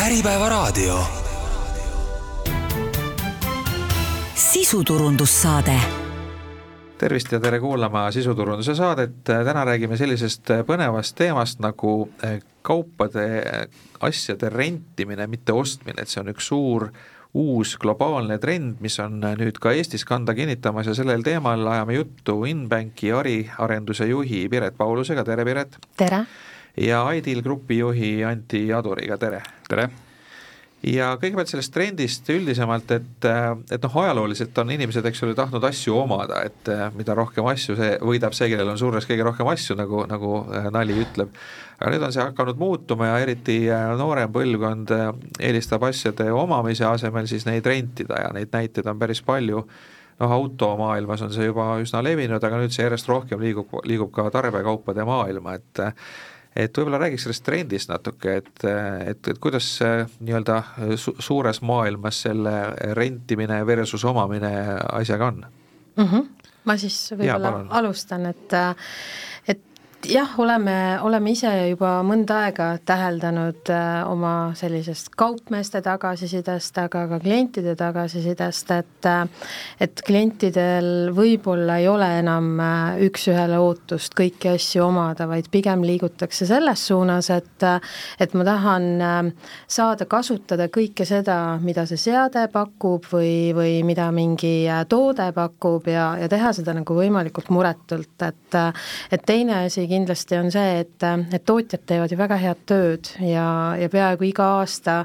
Äripäevaraadio. Sisuturundussaade. Tervist ja tere kuulama sisuturunduse saadet. Täna räägime sellisest põnevast teemast nagu kaupade, asjade rentimine, mitte ostmine. Et see on üks suur uus globaalne trend, mis on nüüd ka Eestis kanda kinnitamas ja sellel teemal ajame juttu Inbanki arenduse juhi Piret Paulusega. Tere, Piret! Tere! Ja Ideal Grupi juhi Antti Aduriga. Tere! Tere! Ja kõigepealt sellest trendist üldisemalt, et ajalooliselt on inimesed, eks ole, tahtnud asju omada, et mida rohkem asju, see võidab see, kellel on suures kõige rohkem asju, nagu nali ütleb. Aga nüüd on see hakanud muutuma ja eriti noorem põlvkond eelistab asjade omamise asemel siis neid rentida ja neid näiteid on päris palju. Automaailmas on see juba üsna levinud, aga nüüd see järjest rohkem liigub ka tarbekaupade maailma, et võib-olla räägiks sellest trendist natuke, et kuidas nii-öelda suures maailmas selle rentimine versus omamine asjaga on? Ma siis võib-olla alustan, et jah, oleme ise juba mõnda aega täheldanud oma sellisest kaupmeeste tagasisidest, aga ka klientide tagasisidest, et klientidel võib-olla ei ole enam üks-ühele ootust kõiki asju omada, vaid pigem liigutakse selles suunas, et ma tahan saada kasutada kõike seda, mida see seade pakub või mida mingi toode pakub ja teha seda nagu võimalikult muretult, et teine asi kindlasti on see, et tootjad teevad ju väga head tööd ja peaaegu iga aasta,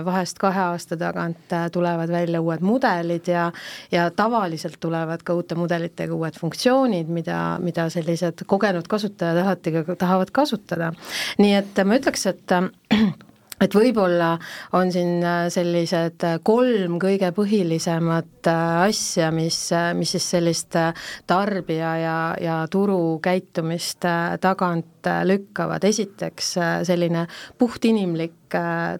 vahest 2 aasta tagant tulevad välja uued mudelid ja tavaliselt tulevad ka uute mudelitega uued funktsioonid, mida sellised kogenud kasutajad alati tahavad kasutada. Nii et ma ütleks, et võib-olla on siin sellised 3 kõige põhilisemat asja, mis siis sellist tarbija ja turu käitumist tagant lükkavad. Esiteks selline puhtinimlik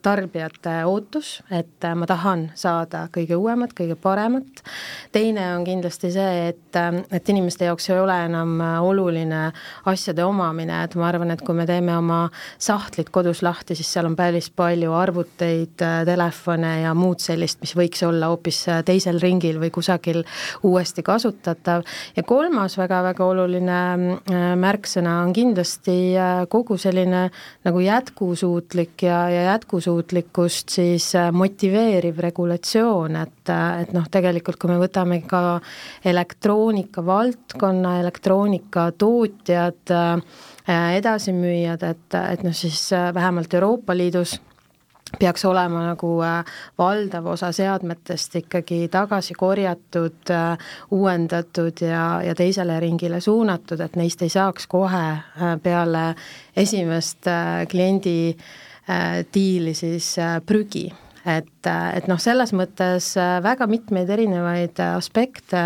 tarbijate ootus, et ma tahan saada kõige uuemat, kõige paremat. Teine on kindlasti see, et inimeste jaoks ei ole enam oluline asjade omamine, et ma arvan, et kui me teeme oma sahtlit kodus lahti, siis seal on päris palju arvuteid, telefone ja muud sellist, mis võiks olla hoopis teisel ringil või kusagil uuesti kasutatav. Ja 3. väga-väga oluline märksõna on kindlasti kogu selline nagu jätkusuutlik ja jätkusuutlikkust siis motiveeriv regulatsioon, et tegelikult kui me võtame ka elektroonika valdkonna, elektroonika tootjad, edasimüüjad, et siis vähemalt Euroopa Liidus peaks olema nagu valdav osa seadmetest ikkagi tagasi korjatud, uuendatud ja teisele ringile suunatud, et neist ei saaks kohe peale esimest kliendi diili siis prügi. Et selles mõttes väga mitmeid erinevaid aspekte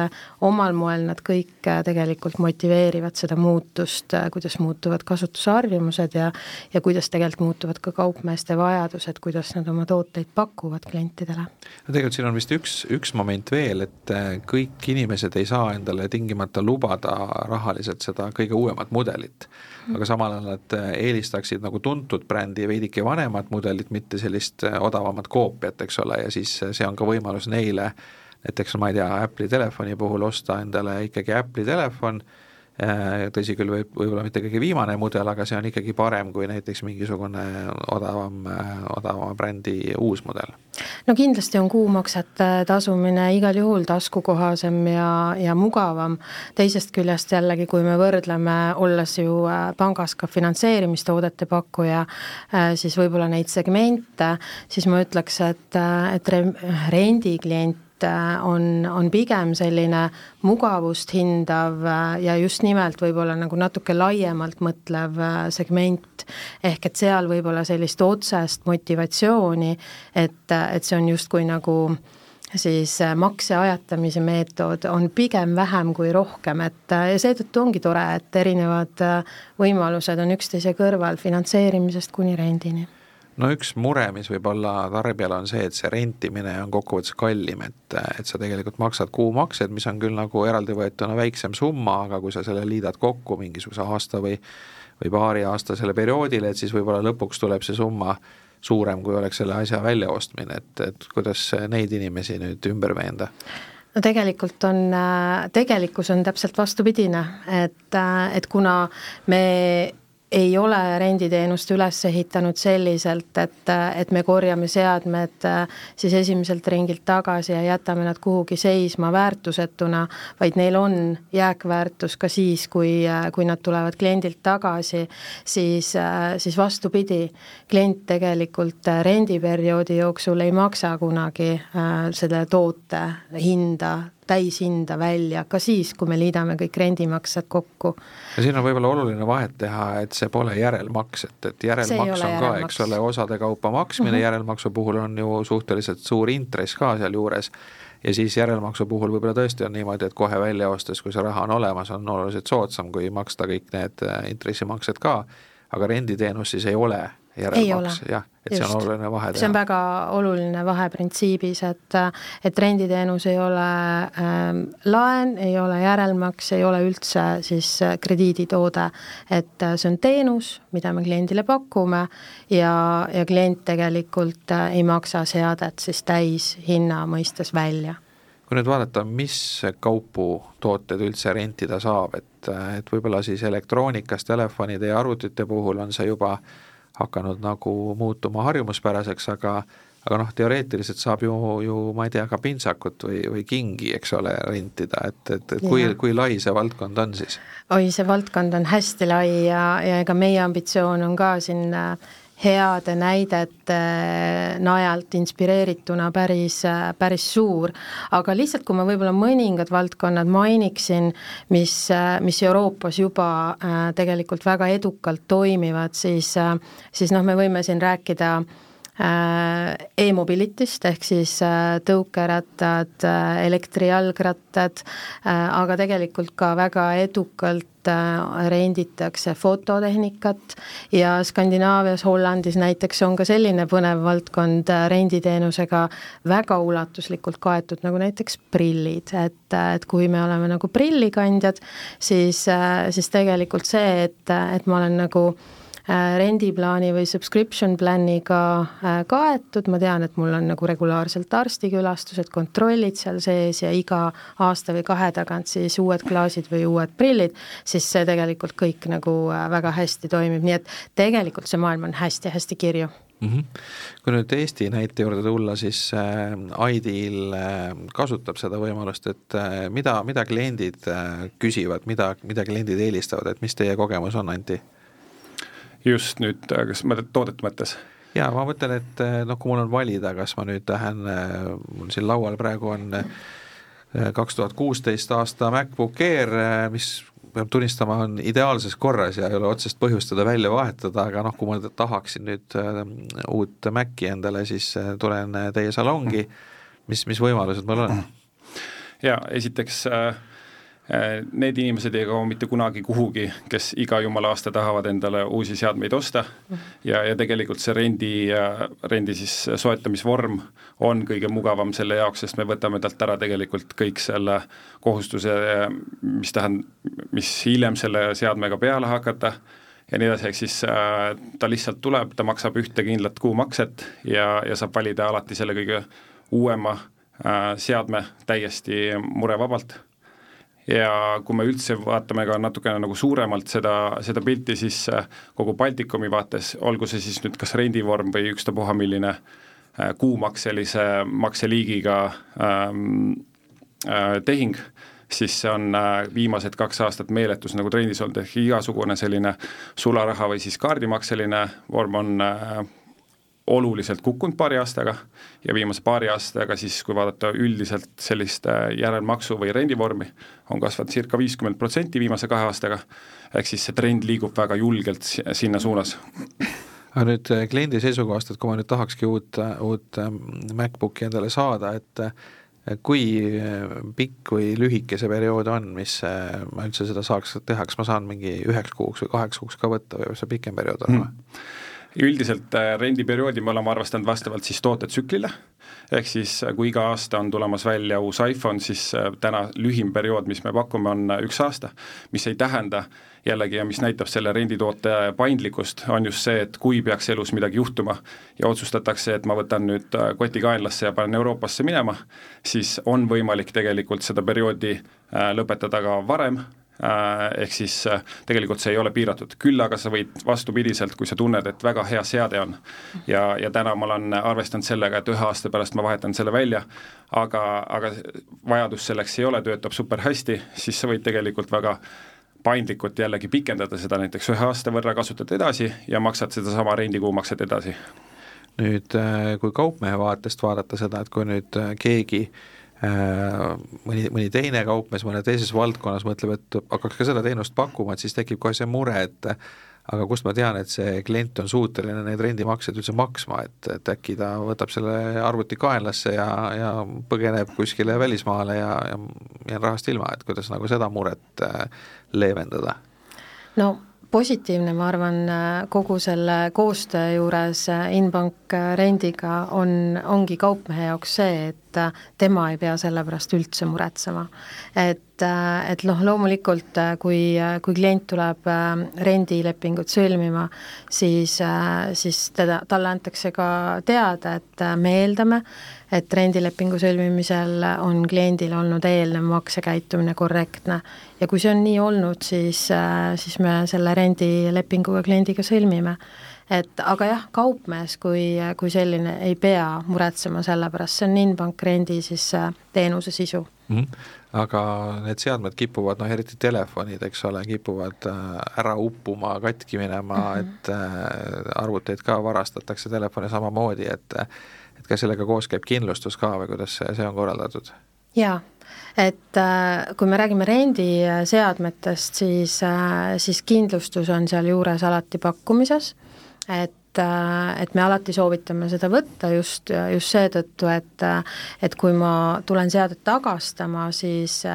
omal moel nad kõik tegelikult motiveerivad seda muutust, kuidas muutuvad kasutusharjumused ja kuidas tegelikult muutuvad ka kaupmeeste vajadused, kuidas nad oma tooteid pakuvad klientidele. Tegelikult siin on vist üks moment veel, et kõik inimesed ei saa endale tingimata lubada rahaliselt seda kõige uuemat mudelit, aga samal ajal nad eelistaksid nagu tuntud brändi veidike vanemat mudelit, mitte sellist odavamat koopiat, eks ole, ja siis see on ka võimalus neile, näiteks ma ei tea, Apple'i telefoni puhul osta endale ikkagi Apple'i telefon, tõsi küll võib-olla mitte kõige viimane mudel, aga see on ikkagi parem kui näiteks mingisugune odavama brändi uus mudel. No kindlasti on kuumaksete tasumine igal juhul taskukohasem ja mugavam. Teisest küljest jällegi, kui me võrdleme, olles ju pangas ka finantseerimistoodete pakkuja, siis võib-olla neid segmente, siis ma ütleks, et rendiklient on pigem selline mugavust hindav ja just nimelt võib-olla nagu natuke laiemalt mõtlev segment, ehk et seal võib-olla sellist otsest motivatsiooni, et see on justkui nagu siis makse ajatamise meetod on pigem vähem kui rohkem, et seetõttu ongi tore, et erinevad võimalused on üksteise kõrval finantseerimisest kuni rendini. No üks mure, mis võib olla tarbijal on see, et see rentimine on kokkuvõttes kallim, et sa tegelikult maksad kuumaksed, mis on küll nagu eraldi võetuna väiksem summa, aga kui sa selle liidad kokku mingisuguse aasta või paari aastasele perioodile, et siis võib-olla lõpuks tuleb see summa suurem, kui oleks selle asja väljaostmine, et kuidas neid inimesi nüüd ümber veenda? No tegelikkus on täpselt vastupidine, et kuna me ei ole renditeenust üles ehitanud selliselt, et me korjame seadmed siis esimeselt ringilt tagasi ja jätame nad kuhugi seisma väärtusetuna, vaid neil on jääkväärtus ka siis, kui nad tulevad kliendilt tagasi, siis vastupidi, klient tegelikult rendiperioodi jooksul ei maksa kunagi selle toote hinda, täishinda välja, ka siis, kui me liidame kõik rendimaksed kokku. Ja siin on võib-olla oluline vahet teha, et see pole järelmaks, et järelmaks on ka, eks ole, osade kaupa maksmine, järelmaksu puhul on ju suhteliselt suur intress ka seal juures ja siis järelmaksu puhul võib-olla tõesti on niimoodi, et kohe välja ostes, kui see raha on olemas, on oluliselt soodsam, kui maksta kõik need intressimaksed ka, aga renditeenus siis ei ole järelmaks, jah, et just. See on oluline vahe teha. See on väga oluline vahe printsiibis, et renditeenus ei ole laen, ei ole järelmaks, ei ole üldse siis krediiditoode, et see on teenus, mida me kliendile pakume ja klient tegelikult ei maksa seadet siis täis hinna mõistes välja. Kui nüüd vaadata, mis kaupu tooted üldse rentida saab, et võib-olla siis elektroonikas, telefonide ja arvutite puhul on see juba hakanud nagu muutuma harjumuspäraseks, aga teoreetiliselt saab ju ma ei tea, ka pintsakut või kingi, eks ole, rentida, et kui lai see valdkond on siis? Oi, see valdkond on hästi lai ja ega meie ambitsioon on ka siin heade näidete najalt inspireerituna päris suur, aga lihtsalt kui ma võib-olla mõningad valdkonnad mainiksin, mis Euroopas juba tegelikult väga edukalt toimivad, siis me võime siin rääkida e-mobilitist ehk siis tõukerattad, elektrijalgrattad, aga tegelikult ka väga edukalt renditakse fototehnikat ja Skandinaavias, Hollandis näiteks on ka selline põnev valdkond renditeenusega väga ulatuslikult kaetud, nagu näiteks prillid, et kui me oleme nagu prillikandjad, siis tegelikult see, et ma olen nagu rendiplaani või subscription planiga kaetud, ma tean, et mul on nagu regulaarselt arstikülastused, kontrollid seal sees ja iga aasta või 2 tagant siis uued klaasid või uued prillid, siis see tegelikult kõik nagu väga hästi toimib, nii et tegelikult see maailm on hästi-hästi kirju. Kui nüüd Eesti näite juurde tulla, siis Ideal kasutab seda võimalust, et mida kliendid küsivad, mida kliendid eelistavad, et mis teie kogemus on, Anti? Just nüüd, kas toodet mõttes? Jaa, ma mõtlen, et kui mul on valida, kas ma nüüd lähen, mul siin laual praegu on 2016 aasta MacBook Air, mis peab tunnistama, on ideaalses korras ja ei ole otsest põhjust teda välja vahetada, aga kui ma tahaksin nüüd uut Maci endale, siis tulen teie salongi, mis võimalused mul on? Jaa, esiteks need inimesed ei kao mitte kunagi kuhugi, kes iga jumala aasta tahavad endale uusi seadmeid osta ja tegelikult see rendi siis soetamisvorm on kõige mugavam selle jaoks, sest me võtame talt ära tegelikult kõik selle kohustuse, mis hiljem selle seadmega peale hakata ja nii edasi, ehk siis ta lihtsalt tuleb, ta maksab ühte kindlat kuumakset ja saab valida alati selle kõige uuema seadme täiesti murevabalt. Ja kui me üldse vaatame ka natukene nagu suuremalt seda pilti, siis kogu Baltikumi vaates, olgu see siis nüüd kas rendivorm või ükstapuha milline kuumakselise makseliigiga tehing, siis see on viimased 2 aastat meeletus nagu trendis olnud, ehk igasugune selline sularaha või siis kaardimakseline vorm on oluliselt kukkunud paari aastaga ja viimase paari aastaga siis, kui vaadata üldiselt sellist järelmaksu või rendivormi, on kasvanud circa 50% viimase 2 aastaga, ehk siis see trend liigub väga julgelt sinna suunas. Aga nüüd kliendi seisukohast, et kui ma nüüd tahakski uut MacBooki endale saada, et kui pikk või lühike see periood on, mis ma üldse seda saaks teha, kas ma saan mingi 9 kuuks või 8 kuuks ka võtta või see pikem periood on? Üldiselt rendiperioodi me oleme arvestanud vastavalt siis tootetsüklile, ehk siis kui iga aasta on tulemas välja uus iPhone, siis täna lühim periood, mis me pakume, on 1 aasta, mis ei tähenda jällegi ja mis näitab selle renditoote paindlikkust, on just see, et kui peaks elus midagi juhtuma ja otsustatakse, et ma võtan nüüd koti kaenlasse ja panen Euroopasse minema, siis on võimalik tegelikult seda perioodi lõpetada ka varem, ehk siis tegelikult see ei ole piiratud, küll aga sa võid vastupidiselt, kui sa tunned, et väga hea seade on ja täna ma olen arvestanud sellega, et 1 aasta pärast ma vahetan selle välja, aga vajadus selleks ei ole, töötab super hästi, siis sa võid tegelikult väga paindlikult jällegi pikendada seda näiteks 1 aasta võrra, kasutad edasi ja maksad seda sama rendikuumaksed edasi. Nüüd, kui kaupmehe vaatest vaadata seda, et kui nüüd keegi mõni teine kaupmees mõne teises valdkonnas mõtleb, et hakkaks ka seda teenust pakkuma, et siis tekib kohe see mure, et aga kust ma tean, et see klient on suuteline neid rendimakseid üldse maksma, et äkki ta võtab selle arvuti kaenlasse ja põgeneb kuskile välismaale ja jään rahast ilma, et kuidas nagu seda muret leevendada? No positiivne, ma arvan, kogu selle koostöö juures Inbank rendiga ongi kaupmehe jaoks see, et tema ei pea selle pärast üldse muretsema. Et loomulikult, kui klient tuleb rendilepingut sõlmima, siis talle antakse ka teada, et me eeldame, et rendilepingu sõlmimisel on kliendil olnud eelnev maksekäitumine korrektne. Ja kui see on nii olnud, siis me selle rendilepinguga kliendiga sõlmime. Aga jah, kaupmees kui selline ei pea muretsema selle pärast, see on Inbank rendi siis teenuse sisu. Aga need seadmed kipuvad, eriti telefonid, eks ole, kipuvad ära uppuma, katki minema, et arvuteid ka varastatakse telefoni samamoodi, et ka sellega koos käib kindlustus ka või kuidas see on korraldatud? Jaa, et kui me räägime rendiseadmetest, siis kindlustus on seal juures alati pakkumises, et me alati soovitame seda võtta just seetõttu, et kui ma tulen seadet tagastama, siis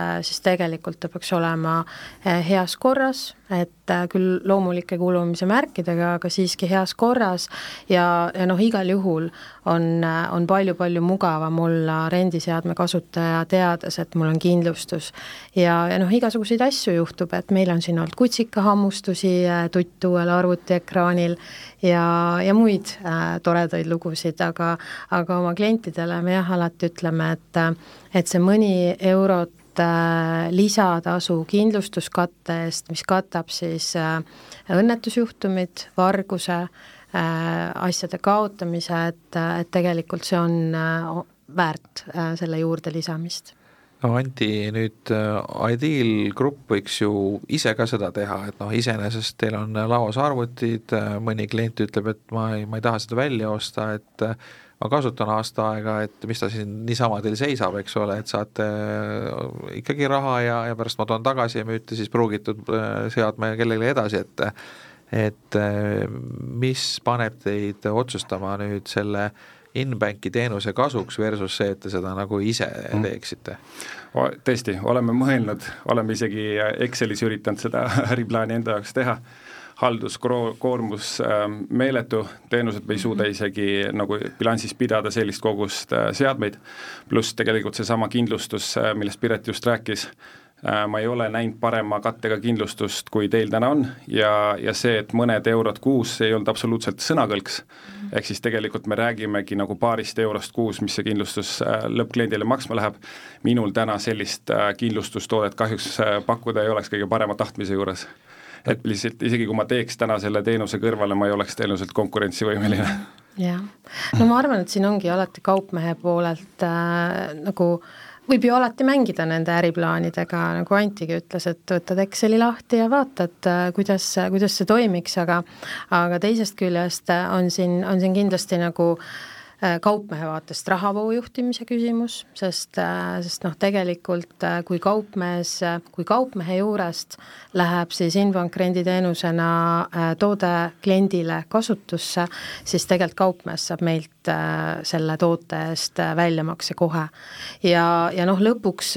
tegelikult ta peaks olema heas korras, et küll loomulike kulumise märkidega, aga siiski heas korras ja igal juhul on palju mugavam olla rendiseadme kasutaja teades, et mul on kindlustus ja igasuguseid asju juhtub, et meil on siin olnud kutsikahammustusi tuttuuel arvutiekraanil ja muid toredaid lugusid, aga oma klientidele me alati ütleme, et see mõni eurot lisatasu kindlustuskatte eest, mis katab siis õnnetusjuhtumid, varguse, asjade kaotamise, et tegelikult see on väärt selle juurde lisamist. No Anti, nüüd Ideal Group võiks ju ise ka seda teha, et iseenesest teil on laos arvutid, mõni klient ütleb, et ma ei taha seda välja osta, et ma kasutan aasta aega, et mis ta siin niisama teil seisab, eks ole, et saate ikkagi raha ja pärast ma toon tagasi ja müüte siis pruugitud seadme kellelegi edasi, et mis paneb teid otsustama nüüd selle Inbanki teenuse kasuks versus see, et te seda nagu ise teeksite? Tõesti, oleme mõelnud, oleme isegi Excelis üritanud seda äriplaani enda jaoks teha, halduskoormus meeletu, teenused ei suuda isegi nagu bilansis pidada sellist kogust seadmeid, pluss tegelikult see sama kindlustus, millest Piret just rääkis, ma ei ole näinud parema kattega kindlustust, kui teil täna on ja see, et mõned eurod kuus ei olnud absoluutselt sõnakõlks, ehk siis tegelikult me räägimegi nagu paarist eurost kuus, mis see kindlustus lõppkliendile maksma läheb, minul täna sellist kindlustustoodet kahjuks pakkuda ei oleks kõige parema tahtmise juures. Et lihtsalt isegi kui ma teeks täna selle teenuse kõrvale, ma ei oleks teenuselt konkurentsivõimeline. Jah, ma arvan, et siin ongi alati kaupmehe poolelt nagu võib ju alati mängida nende äriplaanidega, nagu Antigi ütles, et võtad Exceli lahti ja vaatad, kuidas see toimiks, aga teisest küljest on siin kindlasti nagu kaupmehe vaatest rahavoo juhtimise küsimus, sest tegelikult kui kaupmehe juurest läheb siis Inbank renditeenusena toode kliendile kasutusse, siis tegelikult kaupmees saab meilt selle toote eest väljamakse kohe. Ja lõpuks,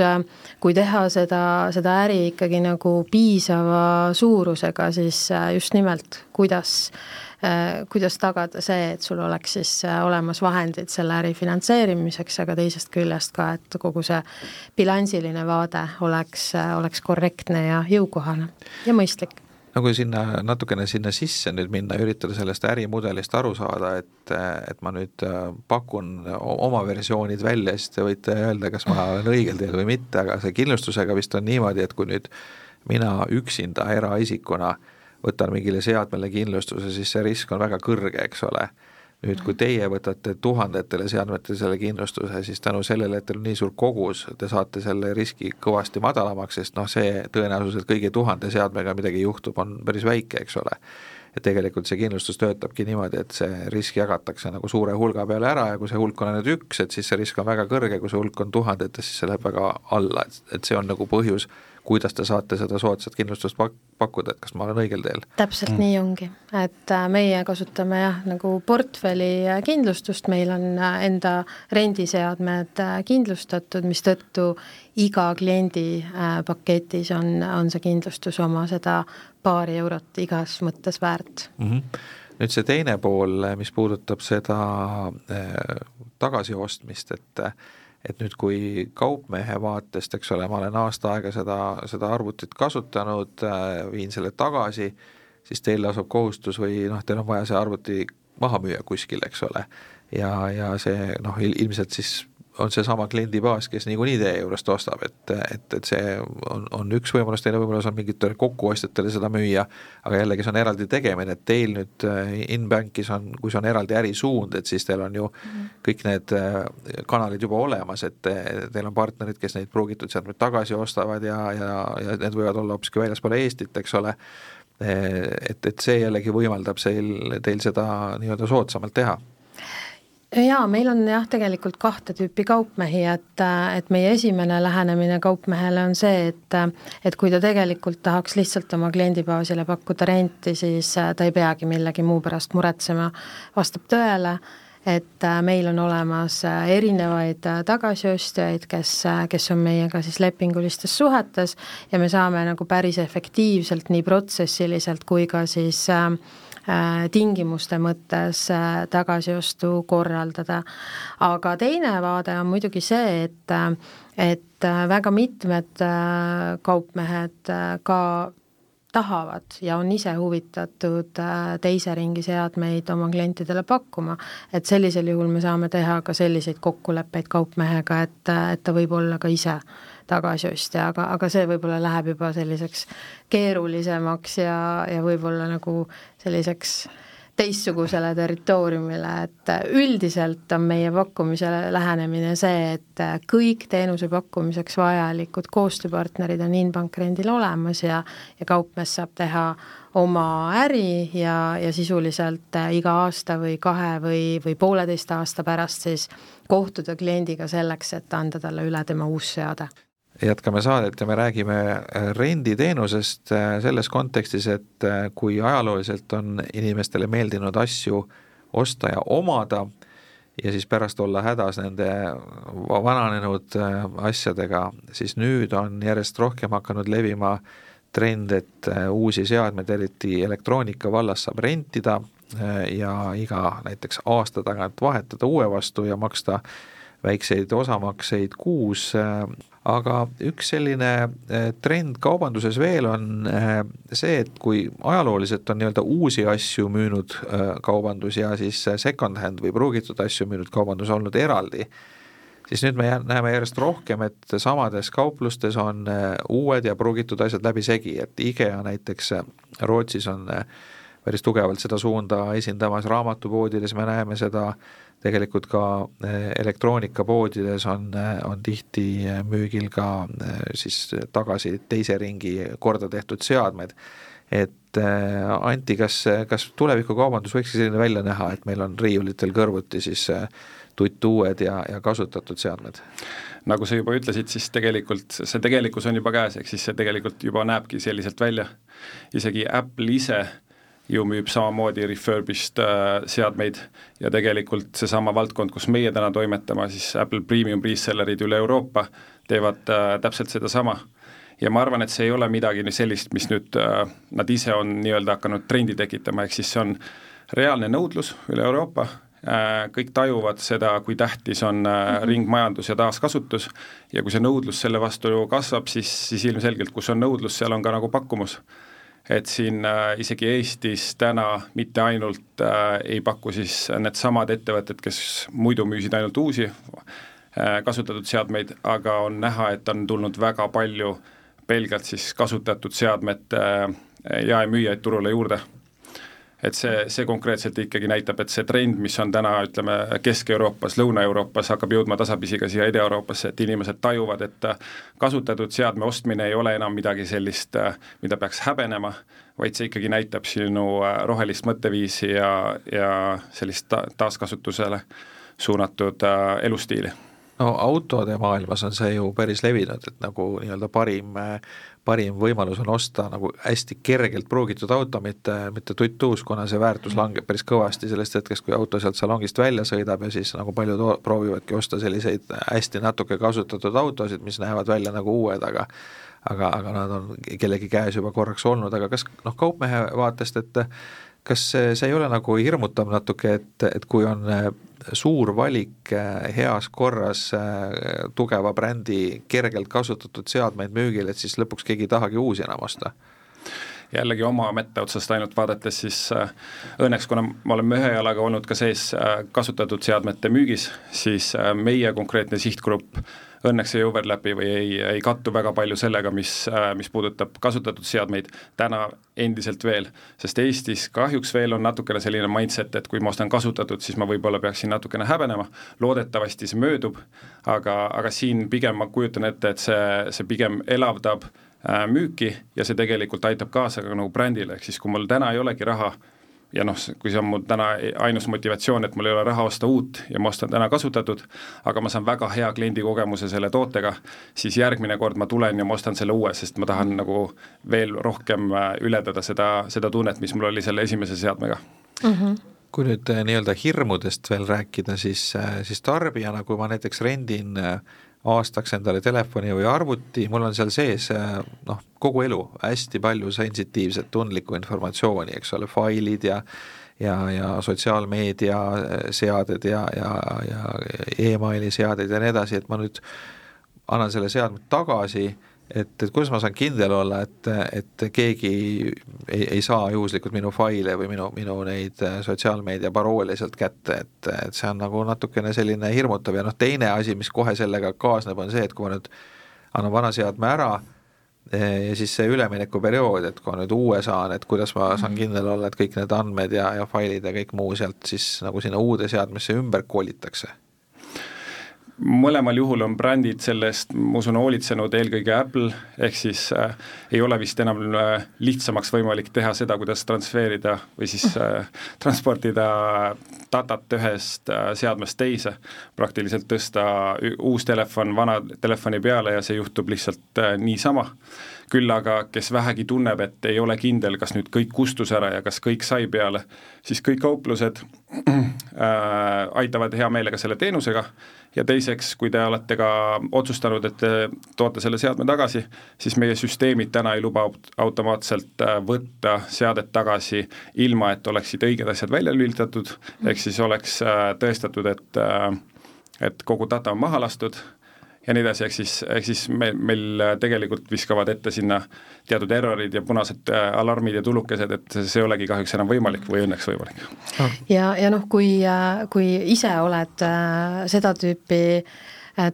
kui teha seda äri ikkagi nagu piisava suurusega, siis just nimelt kuidas tagada see, et sul oleks siis olemas vahendid selle äri finantseerimiseks, aga teisest küljest ka, et kogu see bilansiline vaade oleks korrektne ja jõukohane ja mõistlik. No kui natukene sinna sisse nüüd minna, üritada sellest ärimudelist aru saada, et ma nüüd pakun oma versioonid välja, siis te võite öelda, kas ma olen õigel teel või mitte, aga see kindlustusega vist on niimoodi, et kui nüüd mina üksinda eraisikuna võtan mingile seadmele kindlustuse, siis see risk on väga kõrge, eks ole. Nüüd, kui teie võtate tuhandetele seadmetele selle kindlustuse, siis tänu sellele, et teil on nii suur kogus, te saate selle riski kõvasti madalamaks, sest see tõenäosus, et kõigi 1000 seadmega midagi juhtub, on päris väike, eks ole. Et tegelikult see kindlustus töötabki niimoodi, et see risk jagatakse nagu suure hulga peale ära ja kui see hulk on ainult üks, et siis see risk on väga kõrge, kui see hulk on tuhandetes, siis see läheb väga alla, et see on nagu põhjus, kuidas te saate seda soodsat kindlustust pakkuda, et kas ma olen õigel teel? Täpselt nii ongi, et meie kasutame nagu portfelli kindlustust, meil on enda rendiseadmed kindlustatud, mis tõttu iga kliendi paketis on see kindlustus oma seda paari eurot igas mõttes väärt. Nüüd see teine pool, mis puudutab seda tagasiostmist, et nüüd kui kaupmehe vaatest, eks ole, ma olen aasta aega seda arvutit kasutanud, viin selle tagasi, siis teil asub kohustus või teil on vaja see arvuti maha müüa kuskil, eks ole. Ja see ilmselt siis on see sama kliendibaas, kes niikuinii teie juurest ostab, et see on üks võimalus, teine võimalus on mingitele kokkuostjatele seda müüa, aga jällegi see on eraldi tegemine, et teil nüüd InBankis on, kui see on eraldi ärisuund, et siis teil on ju kõik need kanalid juba olemas, et teil on partnerid, kes neid pruugitud seadmeid tagasi ostavad ja need võivad olla hoopiski väljaspool Eestit, eks ole, et see jällegi võimaldab teil seda nii-öelda soodsamalt teha. Jaa, meil on tegelikult 2 tüüpi kaupmehi, et meie esimene lähenemine kaupmehele on see, et kui ta tegelikult tahaks lihtsalt oma kliendibaasile pakkuda renti, siis ta ei peagi millegi muu pärast muretsema, vastab tõele, et meil on olemas erinevaid tagasiostjaid, kes on meiega siis lepingulistes suhetes ja me saame nagu päris efektiivselt nii protsessiliselt kui ka siis tingimuste mõttes tagasiostu korraldada. Aga teine vaade on muidugi see, et väga mitmed kaupmehed ka tahavad ja on ise huvitatud teise ringi seadmeid oma klientidele pakkuma, et sellisel juhul me saame teha ka selliseid kokkuleppeid kaupmehega, et ta võib olla ka ise tagasiostja, aga see võib-olla läheb juba selliseks keerulisemaks ja võib-olla nagu selliseks teistsugusele territooriumile, et üldiselt on meie pakkumisele lähenemine see, et kõik teenuse pakkumiseks vajalikud koostööpartnerid on InBank rendil olemas ja kaupmees saab teha oma äri ja sisuliselt iga aasta või 2 või 1,5 aasta pärast siis kohtuda kliendiga selleks, et anda talle üle tema uus seade. Jätkame saadet ja me räägime renditeenusest selles kontekstis, et kui ajalooliselt on inimestele meeldinud asju osta ja omada ja siis pärast olla hädas nende vananenud asjadega, siis nüüd on järjest rohkem hakanud levima trend, et uusi seadmeid, eriti elektroonika vallas saab rentida ja iga näiteks aasta tagant vahetada uue vastu ja maksta väikseid osamakseid kuus, aga üks selline trend kaubanduses veel on see, et kui ajalooliselt on nii-öelda uusi asju müünud kaubandus ja siis second hand või pruugitud asju müünud kaubandus olnud eraldi, siis nüüd me näeme järjest rohkem, et samades kauplustes on uued ja pruugitud asjad läbi segi, et IKEA näiteks Rootsis on päris tugevalt seda suunda esindamas, raamatupoodides me näeme seda, tegelikult ka elektroonikapoodides on tihti müügil ka siis tagasi teise ringi korda tehtud seadmed. Et Anti, kas tulevikukaubandus võikski selline välja näha, et meil on riiulitel kõrvuti siis tuttuued ja kasutatud seadmed? Nagu sa juba ütlesid, siis tegelikult see tegelikkus on juba käes, ehk siis see tegelikult juba näebki selliselt välja. Isegi Apple ise ju müüb samamoodi refurbished seadmeid ja tegelikult seesama valdkond, kus meie täna toimetama, siis Apple Premium resellerid üle Euroopa teevad täpselt seda sama. ja ma arvan, et see ei ole midagi sellist, mis nüüd nad ise on nii-öelda hakanud trendi tekitama, ehk siis see on reaalne nõudlus üle Euroopa, kõik tajuvad seda, kui tähtis on ringmajandus ja taaskasutus ja kui see nõudlus selle vastu kasvab, siis ilmselgelt, kus on nõudlus, seal on ka nagu pakkumus. Et siin isegi Eestis täna mitte ainult ei paku siis need samad ettevõtted, kes muidu müüsid ainult uusi kasutatud seadmeid, aga on näha, et on tulnud väga palju pelgalt siis kasutatud seadmete jaemüüjaid turule juurde. Et see konkreetselt ikkagi näitab, et see trend, mis on täna, ütleme, Kesk-Euroopas, Lõuna-Euroopas, hakkab jõudma tasapisi ka siia Ida-Euroopasse, et inimesed tajuvad, et kasutatud seadme ostmine ei ole enam midagi sellist, mida peaks häbenema, vaid see ikkagi näitab sinu rohelist mõtteviisi ja sellist taaskasutusele suunatud elustiili. No autode maailmas on see ju päris levinud, et nagu nii-öelda parim võimalus on osta nagu hästi kergelt pruugitud auto, mitte tuttuus, kuna see väärtus langeb päris kõvasti sellest hetkest, kui auto sealt salongist välja sõidab ja siis nagu paljud proovivadki osta selliseid hästi natuke kasutatud autosid, mis näevad välja nagu uued, aga nad on kellegi käes juba korraks olnud, aga kas kaupmehe vaatest, et kas see ei ole nagu hirmutav natuke, et kui on suur valik heas korras tugeva brändi kergelt kasutatud seadmeid müügil, et siis lõpuks keegi ei tahagi uusi enam osta? Jällegi oma mette otsast ainult vaadates, siis õnneks, kuna me oleme ühe jalaga olnud ka sees kasutatud seadmete müügis, siis meie konkreetne sihtgrupp õnneks ei overlapi või ei kattu väga palju sellega, mis puudutab kasutatud seadmeid täna endiselt veel, sest Eestis kahjuks veel on natukene selline mindset, et kui ma ostan kasutatud, siis ma võib-olla peaksin natukene häbenema, loodetavasti see möödub, aga siin pigem ma kujutan ette, et see pigem elavdab müüki ja see tegelikult aitab kaasa ka nagu brändile, ehk siis kui mul täna ei olegi raha ja kui see on mul täna ainus motivatsioon, et mul ei ole raha osta uut ja ma ostan täna kasutatud, aga ma saan väga hea kliendikogemuse selle tootega, siis järgmine kord ma tulen ja ma ostan selle uue, sest ma tahan nagu veel rohkem ületada seda tunnet, mis mul oli selle esimese seadmega. Kui nüüd nii-öelda hirmudest veel rääkida, siis tarbijana, kui ma näiteks rendin aastaks endale telefoni või arvuti, mul on seal sees kogu elu hästi palju sensitiivset tundlikku informatsiooni, eks ole, failid ja sotsiaalmeedia seaded ja e-maili seaded ja nii edasi, et ma nüüd annan selle seadmed tagasi, et kuidas ma saan kindel olla, et keegi ei saa juhuslikult minu faile või minu neid sotsiaalmeedia paroole sealt kätte, et see on nagu natukene selline hirmutav ja teine asi, mis kohe sellega kaasneb, on see, et kui ma nüüd annan vana seadme ära ja siis see üleminekuperiood, et kui ma nüüd uue saan, et kuidas ma saan kindel olla, et kõik need andmed ja failid ja kõik muu sealt siis nagu sinna uude seadmesse ümber koolitakse. Mõlemal juhul on brändid sellest, ma usun, hoolitsenud eelkõige Apple, ehk siis ei ole vist enam lihtsamaks võimalik teha seda, kuidas transferida või siis transportida datat ühest seadmest teise, praktiliselt tõsta uus telefon vana telefoni peale ja see juhtub lihtsalt niisama. Küll aga, kes vähegi tunneb, et ei ole kindel, kas nüüd kõik kustus ära ja kas kõik sai peale, siis kõik kauplused aitavad hea meelega selle teenusega ja teiseks, kui te olete ka otsustanud, et te toote selle seadme tagasi, siis meie süsteemid täna ei luba automaatselt võtta seadet tagasi ilma, et oleksid õiged asjad välja lülitatud, ehk siis oleks tõestatud, et kogu data on maha lastud ja nii edasi, ehk siis meil tegelikult viskavad ette sinna teatud errorid ja punased alarmid ja tulukesed, et see ei olegi kahjuks enam võimalik või õnneks võimalik. Ja kui ise oled seda tüüpi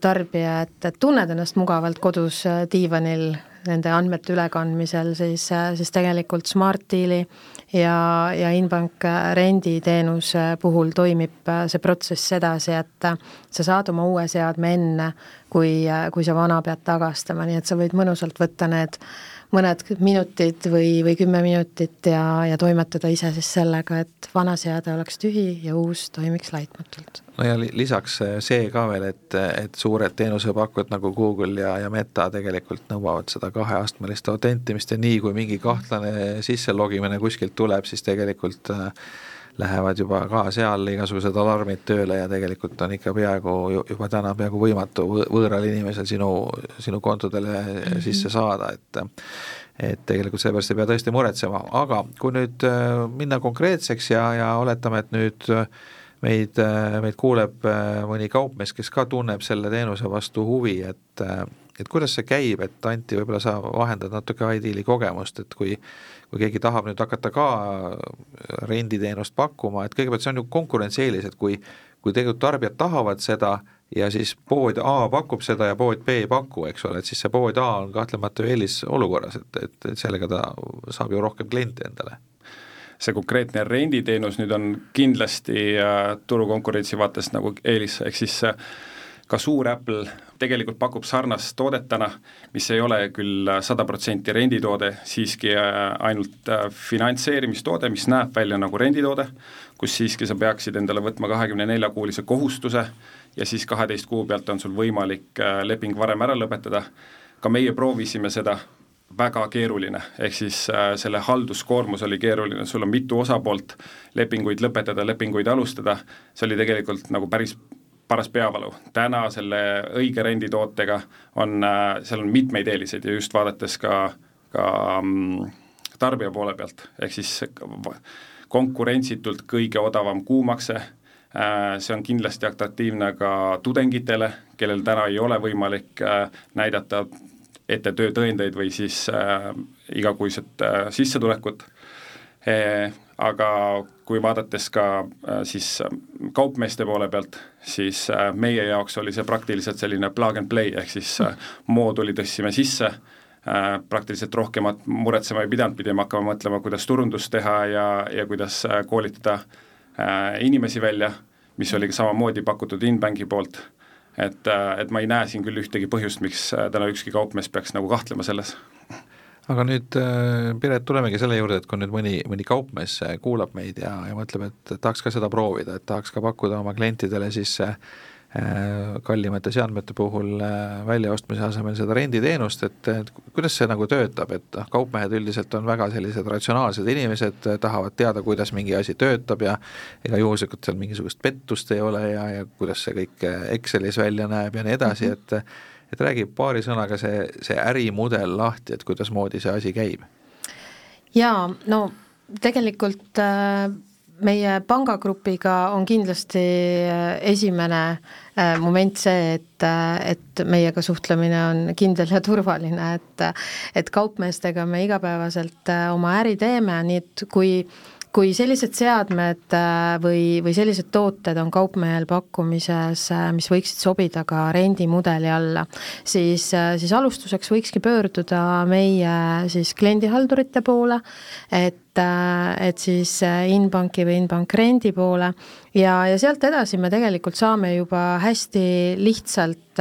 tarbija, et tunned ennast mugavalt kodus diivanil nende andmete ülekandmisel, siis tegelikult Smart Deali ja Inbank renditeenuse puhul toimib see protsess edasi, et sa saad oma uue seadme enne, kui sa vana pead tagastama, nii et sa võid mõnusalt võtta need mõned minutid või 10 minutit ja toimetada ise siis sellega, et vana seade oleks tühi ja uus toimiks laitmatult. No ja lisaks see ka veel, et suured teenusepakkujad nagu Google ja Meta tegelikult nõuavad seda 2-astmelist autentimist ja nii, kui mingi kahtlane sisselogimine kuskilt tuleb, siis tegelikult lähevad juba ka seal igasugused alarmid tööle ja tegelikult on ikka juba täna peaaegu võimatu võõral inimesel sinu kontodele sisse saada, et tegelikult sellepärast ei pea tõesti muretsema, aga kui nüüd minna konkreetseks ja oletame, et nüüd meid kuuleb mõni kaupmees, kes ka tunneb selle teenuse vastu huvi, et kuidas see käib, et Anti, võib-olla sa vahendad natuke Ideali kogemust, et kui keegi tahab nüüd hakata ka renditeenust pakkuma, et kõigepealt see on ju konkurentsieelis, et kui tegelikult tarbijad tahavad seda ja siis pood A pakub seda ja pood B ei paku, eks ole, et siis see pood A on kahtlemata eelis olukorras, et sellega ta saab ju rohkem kliente endale. See konkreetne renditeenus nüüd on kindlasti turukonkurentsi vaates nagu eelis, ehk siis ka suur Apple tegelikult pakub sarnast toodetana, mis ei ole küll 100% renditoode, siiski ainult finantseerimistoode, mis näeb välja nagu renditoode, kus siiski sa peaksid endale võtma 24-kuulise kohustuse ja siis 12 kuu pealt on sul võimalik leping varem ära lõpetada. Ka meie proovisime seda, väga keeruline, ehk siis selle halduskoormus oli keeruline, sul on mitu osapoolt, lepinguid lõpetada, lepinguid alustada, see oli tegelikult nagu päris paras peavalu. Täna selle õige renditootega seal on mitmeid eeliseid ja just vaadates ka tarbija poole pealt, ehk siis konkurentsitult kõige odavam kuumakse, see on kindlasti atraktiivne ka tudengitele, kellel täna ei ole võimalik näidata ette töötõendeid või siis igakuiset sissetulekut. Aga kui vaadates ka siis kaupmeeste poole pealt, siis meie jaoks oli see praktiliselt selline plug and play, ehk siis mooduli tõstsime sisse, praktiliselt rohkemat muretsema ei pidanud, pidime hakkama mõtlema, kuidas turundust teha ja kuidas koolitada inimesi välja, mis oli samamoodi pakutud Inbanki poolt. Et ma ei näe siin küll ühtegi põhjust, miks täna ükski kaupmees peaks nagu kahtlema selles. Aga nüüd, Piret, tulemegi selle juurde, et kui nüüd mõni kaupmees kuulab meid ja mõtleb, et tahaks ka seda proovida, et tahaks ka pakkuda oma klientidele siis kallimate seadmete puhul väljaostmise asemel seda renditeenust, et kuidas see nagu töötab, et kaupmehed üldiselt on väga sellised ratsionaalsed inimesed, tahavad teada, kuidas mingi asi töötab ja ega juhuslikult seal mingisugust pettust ei ole ja kuidas see kõik Excelis välja näeb ja nii edasi, et räägib paari sõnaga see ärimudel lahti, et kuidas moodi see asi käib? Jaa, no tegelikult meie pangagrupiga on kindlasti esimene moment see, et meiega suhtlemine on kindel ja turvaline, et kaupmeestega me igapäevaselt oma äri teeme, nii et kui sellised seadmed või sellised tooted on kaupmehel pakkumises, mis võiksid sobida ka rendimudeli alla, siis alustuseks võikski pöörduda meie siis kliendihaldurite poole, et siis Inbanki või Inbank rendi poole ja sealt edasi me tegelikult saame juba hästi lihtsalt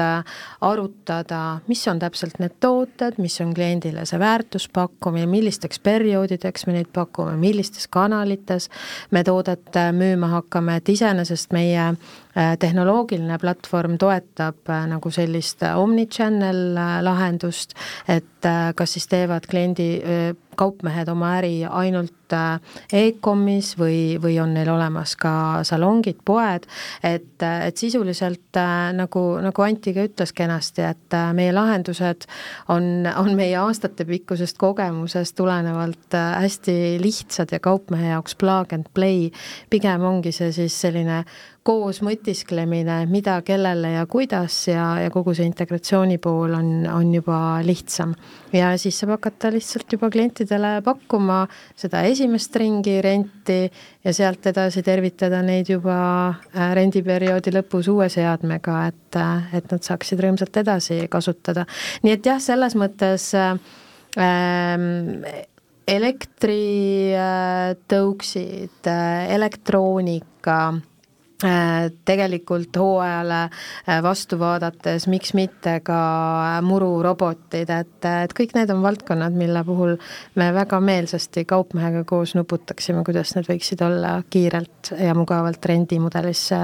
arutada, mis on täpselt need tooted, mis on kliendile see väärtuspakkumine, millisteks perioodideks me neid pakume, millistes kanalites me toodet müüma hakkame, et iseenesest meie tehnoloogiline platvorm toetab nagu sellist omnichannel lahendust, et kas siis teevad kaupmehed oma äri ainult e-commis või on neil olemas ka salongid, poed, et sisuliselt nagu Anti ka ütles kenasti, et meie lahendused on meie aastate pikkusest kogemusest tulenevalt hästi lihtsad ja kaupmehe jaoks plug and play, pigem ongi see siis selline koos mõtisklemine, mida, kellele ja kuidas ja kogu see integratsiooni pool on juba lihtsam. Ja siis saab hakata lihtsalt juba klientidele pakkuma seda esimest ringi renti ja sealt edasi tervitada neid juba rendiperioodi lõpus uue seadmega, et nad saaksid rõõmsalt edasi kasutada. Nii et jah, selles mõttes elektritõuksid, elektroonika, tegelikult hooajale vastu vaadates, miks mitte ka mururobotid, et kõik need on valdkonnad, mille puhul me väga meelsasti kaupmehega koos nuputaksime, kuidas need võiksid olla kiirelt ja mugavalt rendimudelisse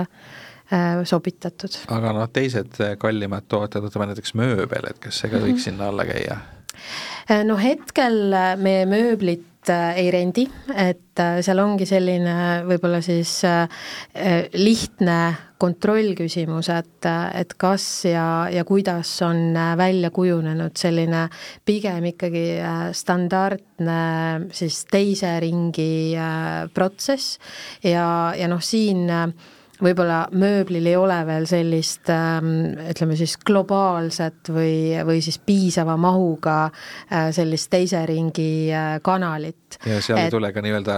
sobitatud. Aga teised kallimad tooted, võtame näiteks mööbel, et kas see ka võiks sinna alla käia? No hetkel meie mööblit ei rendi, et seal ongi selline võib-olla siis lihtne kontrollküsimus, et kas ja kuidas on välja kujunenud selline pigem ikkagi standardne siis teise ringi protsess ja noh, siin võib-olla mööblil ei ole veel sellist, ütleme siis globaalset või siis piisava mahuga sellist teise ringi kanalit. Ja seal ei tule ka nii-öelda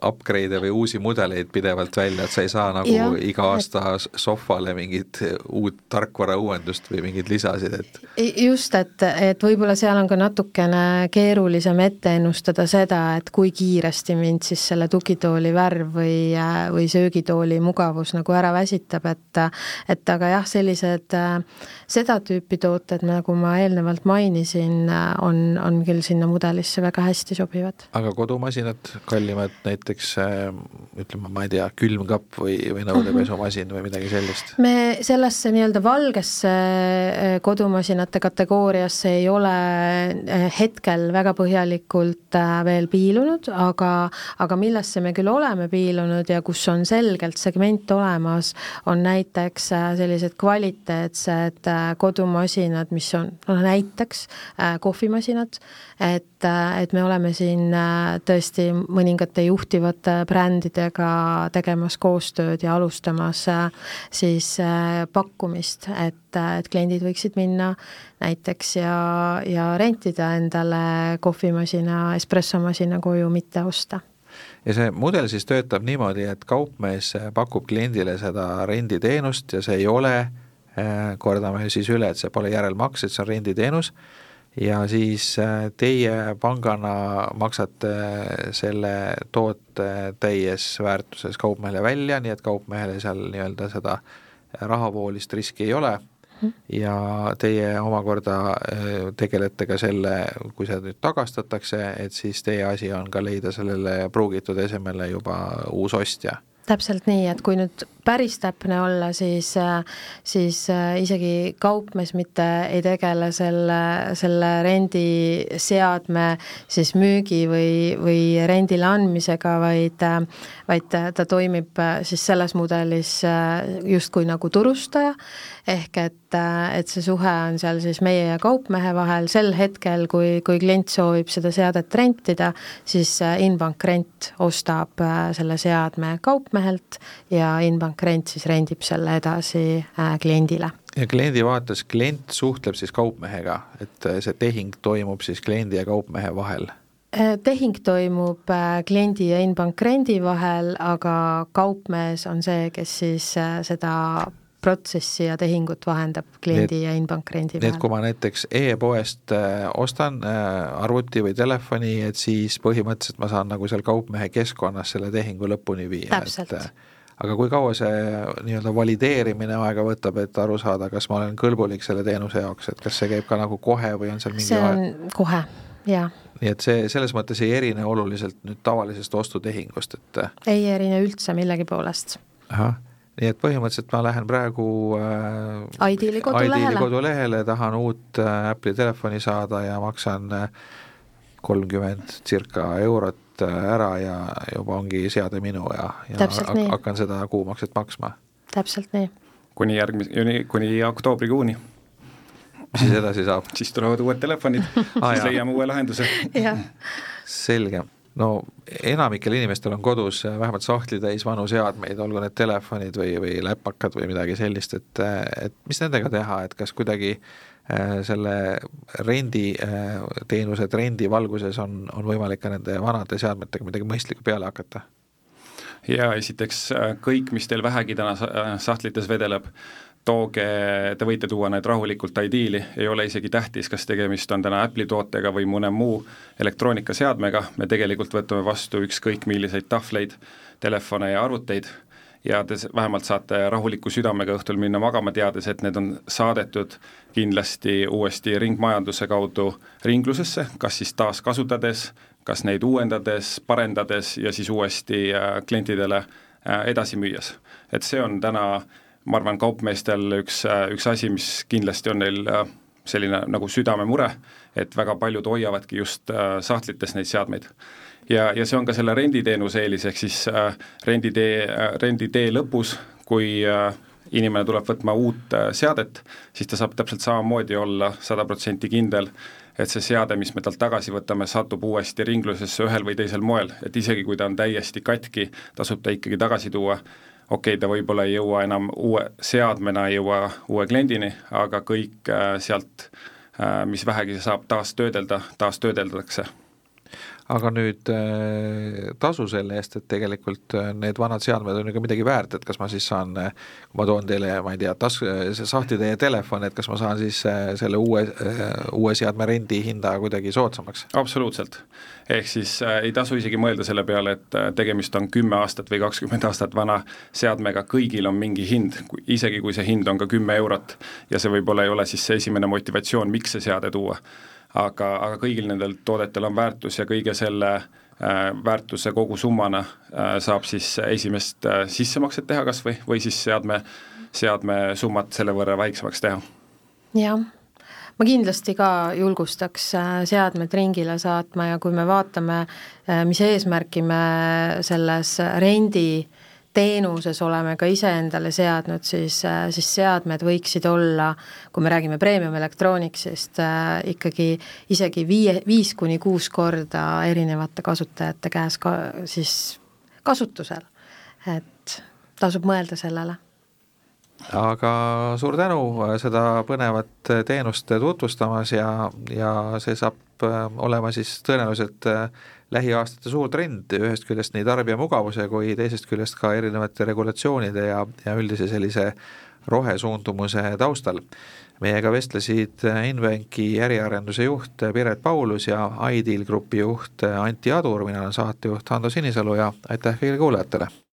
upgrade või uusi mudeleid pidevalt välja, et sa ei saa nagu iga aasta sohvale mingit uut tarkvara uuendust või mingeid lisasid, et just, et võib-olla seal on ka natukene keerulisem ette ennustada seda, et kui kiiresti mind siis selle tugitooli värv või söögitooli mugavus nagu ära väsitab, et aga jah, sellised seda tüüpi tooted, nagu ma eelnevalt mainisin, on küll sinna mudelisse väga hästi sobivad. Aga kodumasinad, kallimad näiteks, ütleme, ma ei tea, külmkapp või nõudepesumasin või midagi sellist? Me sellesse nii-öelda valgesse kodumasinate kategooriasse ei ole hetkel väga põhjalikult veel piilunud, aga millesse me küll oleme piilunud ja kus on selgelt segment olemas, on näiteks sellised kvaliteetsed kodumasinad, mis on näiteks kohvimasinad, et me oleme siin tõesti mõningate juhtivate brändidega tegemas koostööd ja alustamas siis pakkumist, et kliendid võiksid minna näiteks ja rentida endale kohvimasina, espressomasina koju, mitte osta. Ja see mudel siis töötab niimoodi, et kaupmees pakub kliendile seda renditeenust ja see ei ole, kordame siis üle, et see pole järelmaks, et see on renditeenus ja siis teie pangana maksate selle toote täies väärtuses kaupmehele välja, nii et kaupmehele seal nii-öelda seda rahavoolist riski ei ole ja teie omakorda tegelete ka selle, kui see nüüd tagastatakse, et siis teie asi on ka leida sellele pruugitud esemele juba uus ostja. Täpselt nii, et kui nüüd päris täpne olla, siis isegi kaupmees mitte ei tegele selle rendiseadme siis müügi või rendile andmisega, vaid ta toimib siis selles mudelis justkui nagu turustaja, ehk et see suhe on seal siis meie ja kaupmehe vahel sel hetkel, kui klient soovib seda seadet rentida, siis Inbank Rent ostab selle seadme kaupmehelt ja Inbank Rent siis rendib selle edasi kliendile. Ja kliendi vaates, klient suhtleb siis kaupmehega, et see tehing toimub siis kliendi ja kaupmehe vahel? Tehing toimub kliendi ja Inbank Rendi vahel, aga kaupmees on see, kes siis seda protsessi ja tehingut vahendab kliendi ja Inbank Rendi vahel. Nii et kui ma näiteks e-poest ostan arvuti või telefoni, et siis põhimõtteliselt ma saan nagu seal kaupmehe keskkonnas selle tehingu lõpuni viia. Täpselt. Aga kui kaua see nii-öelda valideerimine aega võtab, et aru saada, kas ma olen kõlbulik selle teenuse jaoks, et kas see käib ka nagu kohe või on seal mingi see on kohe, jaa. Nii et see selles mõttes ei erine oluliselt nüüd tavalisest ostutehingust, et ei erine üldse millegi poolest. Ahah. Nii et põhimõtteliselt ma lähen praegu Ideali kodulehele, tahan uut Apple'i telefoni saada ja maksan 30 circa eurot ära ja juba ongi seade minu ja hakkan seda kuumakset maksma. Täpselt nii. Kuni oktoobrikuuni. Mis siis edasi saab? Siis tulevad uued telefonid, siis leiame uue lahenduse. Selge. No enamikel inimestel on kodus vähemalt sahtli täis vanu seadmeid, olgu need telefonid või läpakad või midagi sellist, et mis nendega teha, et kas kuidagi selle renditeenuse trendi valguses on võimalik ka nende vanade seadmetega midagi mõistlikku peale hakata? Ja esiteks kõik, mis teil vähegi täna sahtlites vedeleb, te võite tuua need rahulikult Ideali, ei ole isegi tähtis, kas tegemist on täna Apple'i tootega või mõne muu elektroonikaseadmega, me tegelikult võtame vastu ükskõik milliseid tahvleid, telefone ja arvuteid ja te vähemalt saate rahuliku südamega õhtul minna magama, teades, et need on saadetud kindlasti uuesti ringmajanduse kaudu ringlusesse, kas siis taas kasutades, kas neid uuendades, parendades ja siis uuesti klientidele edasi müües. Et see on täna, ma arvan, kaupmeestel üks asi, mis kindlasti on neil selline nagu südamemure, et väga paljud hoiavadki just sahtlites neid seadmeid. Ja see on ka selle renditeenuse eelis, ehk siis renditee lõpus, kui inimene tuleb võtma uut seadet, siis ta saab täpselt samamoodi olla 100% kindel, et see seade, mis me talt tagasi võtame, satub uuesti ringlusesse ühel või teisel moel, et isegi kui ta on täiesti katki, tasub ta ikkagi tagasi tuua. Okei, ta võib-olla ei jõua enam uue seadmena, ei jõua uue kliendini, aga kõik sealt, mis vähegi saab taastöödeldakse. Aga nüüd tasu selle eest, et tegelikult need vanad seadmed on ju ka midagi väärt, et kas ma siis saan, kui ma toon teile, ma ei tea, sahti teie telefon, et kas ma saan siis selle uue seadme rendi hinda kuidagi soodsamaks? Absoluutselt. Ehk siis ei tasu isegi mõelda selle peale, et tegemist on 10 aastat või 20 aastat vana seadmega, kõigil on mingi hind, isegi kui see hind on ka 10 eurot ja see võib-olla ei ole siis see esimene motivatsioon, miks see seade tuua. Aga kõigil nendel toodetel on väärtus ja kõige selle väärtuse kogu summana saab siis esimest sissemakset teha kas või siis seadme summat selle võrra väiksemaks teha. Jah, ma kindlasti ka julgustaks seadmed ringile saatma ja kui me vaatame, mis eesmärki me selles rendi teenuses oleme ka ise endale seadnud, siis seadmed võiksid olla, kui me räägime premium elektrooniksist, ikkagi isegi 5-6 korda erinevate kasutajate käes siis kasutusel. Et tasub mõelda sellele. Aga suur tänu seda põnevat teenust tutvustamas ja see saab olema siis tõenäoliselt lähiaastate suur trend, ühest küljest nii tarbija mugavuse kui teisest küljest ka erinevate regulatsioonide ja üldise sellise rohesuundumuse taustal. Meiega vestlesid Invenki äriarenduse juht Piret Paulus ja iDeal Grupi juht Antti Adur, mina olen saatejuht Hando Sinisalu ja aitäh kõigile kuulajatele!